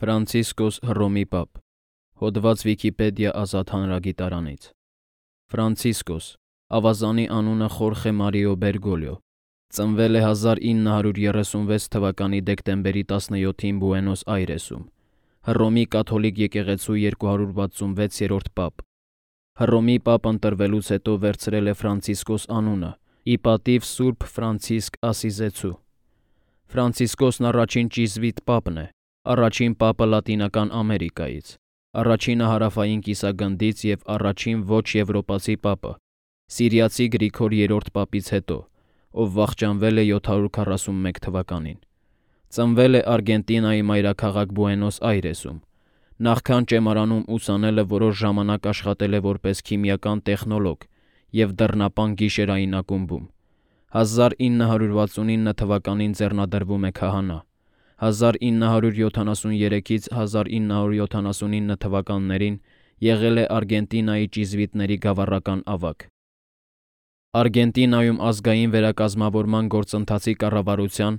Ֆրանցիսկոս Հռոմի պապ։ Հոդված Վիկիպեդիա ազատ հանրագիտարանից։ Ֆրանցիսկոս, ավազանի անունը Խորխե Մարիո Բերգոլիո, ծնվել է 1936 թվականի դեկտեմբերի 17-ին Բուենոս Այրեսում, Հռոմի կաթոլիկ եկեղեցու 266-րդ պապ։ Հռոմի պապ ընտրվելուց հետո վերցրել է Ֆրանցիսկոս անունը, ի պատիվ Սուրբ Ֆրանցիսկ Ասիզեցու։ Ֆրանցիսկոսն առաջին ճիզվիտ պապն է, առաջին պապը Լատինական Ամերիկայից, առաջինը հարավային կիսագնդից և առաջին ոչ եվրոպացի պապը, սիրիացի Գրիգոր III պապից հետո, ով վախճանվել է 741 թվականին։ Ծնվել է Արգենտինայի մայրաքաղաք Բուենոս Այրեսում։ Նախքան ճեմարանում ուսանելը որոշ ժամանակ աշխատել է որպես քիմիական տեխնոլոգ և դռնապան գիշերային ակումբում։ 1969 թվականին ձեռնադրվում է քահանա։ 1973-ից 1979 թվականներին եղել է Արգենտինայի ճիզվիտների գավառական ավագ։ Արգենտինայում ազգային վերակազմավորման գործընթացի կառավարության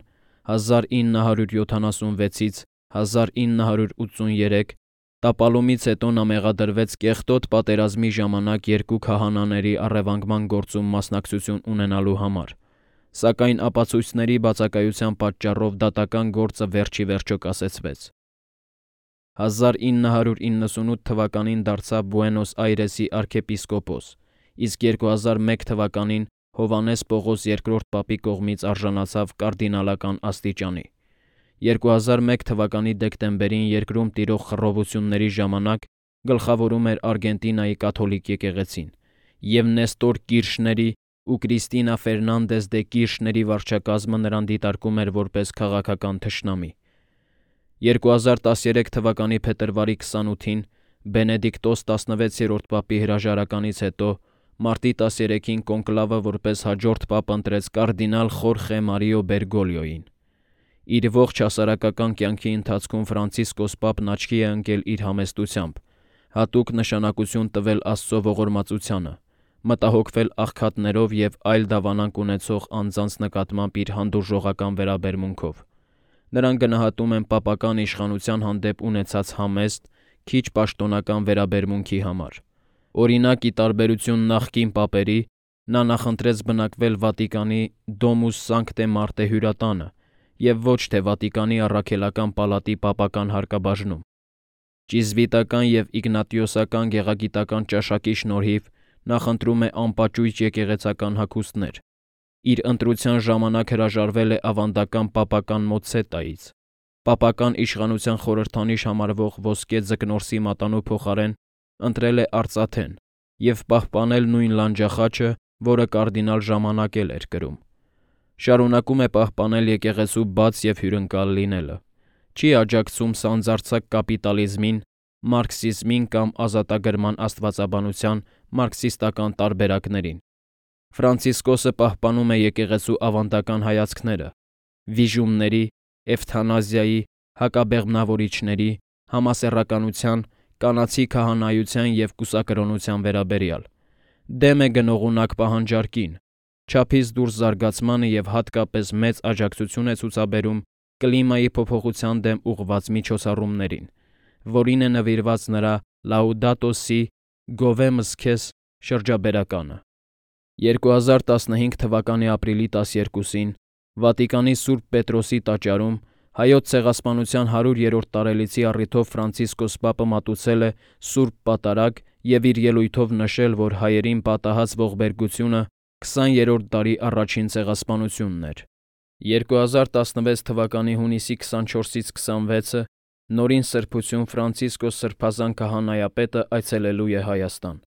1976-ից 1983 տապալումից հետո նա մեղադրվեց կեղտոտ պատերազմի ժամանակ երկու քահանաների առևանգման գործում մասնակցություն ունենալու համար, սակայն ապացույցների բացակայության պատճառով դատական գործը վերջիվերջո կասեցվեց։ 1998 թվականին դարձավ Բուենոս Այրեսի արքեպիսկոպոս, իսկ 2001 թվականին Հովհաննես Պողոս II պապի կողմից արժանացավ կարդինալական աստիճանի։ 2001 թվականի դեկտեմբերին երկրում տիրող խռովությունների ժամանակ գլխավորում էր Արգենտինայի կաթոլիկ եկեղեցին, և Նեստոր Կիրշների ու Կրիստինա Ֆերնանդես դե Կիրշների վարչակազմը նրան դիտարկում էր որպես քաղաքական թշնամի։ 2013 թվականի փետրվարի 28-ին Բենեդիկտոս 16-րդ պապի հրաժարականից հետո մարտի 13-ին կոնկլավը որպես հաջորդ պապ ընտրեց կարդինալ Խորխե Մարիո Բերգոլիոյին։ Իր ողջ հասարակական կյանքի ընթացքում Ֆրանցիսկոս պապն աչքի է ընկել իր համեստությամբ, հատուկ նշանակություն տվել Աստծո ողորմածությանը, մտահոգվել աղքատներով և այլ դավանանք ունեցող անձանց նկատմամբ իր հանդուրժողական վերաբերմունքով։ Նրան գնահատում են պապական իշխանության հանդեպ ունեցած համեստ, քիչ պաշտոնական վերաբերմունքի համար։ Օրինակ, ի տարբերություն նախկին պապերի, նա նախընտրեց բնակվել Վատիկանի Domus Sanctae Marthae հյուրատանը և ոչ թե Վատիկանի առաքելական պալատի պապական հարկաբաժնում։ Ճիզվիտական և իգնատիոսական գեղագիտական ճաշակի շնորհիվ նախընտրում է անպաճույճ եկեղեցական հագուստներ։ Իր ընտրության ժամանակ հրաժարվել է ավանդական պապական մոցցետայից։ Պապական իշխանության խորհրդանիշ համարվող ոսկե ձկնորսի մատանու փոխարեն ընտրել է արծաթեն և պահպանել նույն լանջախաչը, որը կարդինալ ժամանակել էր կրում։ Շարունակում է պահպանել եկեղեցու բաց և հյուրընկալ լինելը։ Չի աջակցում սանձարձակ կապիտալիզմին, մարքսիզմին կամ ազատագրման աստվածաբանության մարքսիստական տարբերակներին։ Ֆրանցիսկոսը պահպանում է եկեղեցու ավանդական հայացքները վիժումների, էվթանազիայի, հակաբեղմնավորիչների, համասեռականության, կանացի քահանայության և կուսակրոնության վերաբերյալ։ Դեմ է գնողունակ պահանջարկին, չափից դուրս զարգացմանը և հատկապես մեծ աջակցություն է ցուցաբերում կլիմայի փոփոխության դեմ ուղղված միջոցառումներին, որին է նվիրված նրա Laudato Si, Govemos Քեզ շրջաբերականը։ 2015 թվականի ապրիլի 12-ին Վատիկանի Սուրբ Պետրոսի տաճարում Հայոց ցեղասպանության 100-րդ տարելիցի առիթով Ֆրանցիսկոս պապը մատուցել է Սուրբ Պատարագ և իր ելույթով նշել, որ հայերին պատահած ողբերգությունը 20-րդ դարի առաջին ցեղասպանությունն էր։ 2016 թվականի հունիսի 24-ից 26-ը Նորին Սրբություն Ֆրանցիսկոս Սրբազան քահանայապետը այցելելու է Հայաստան։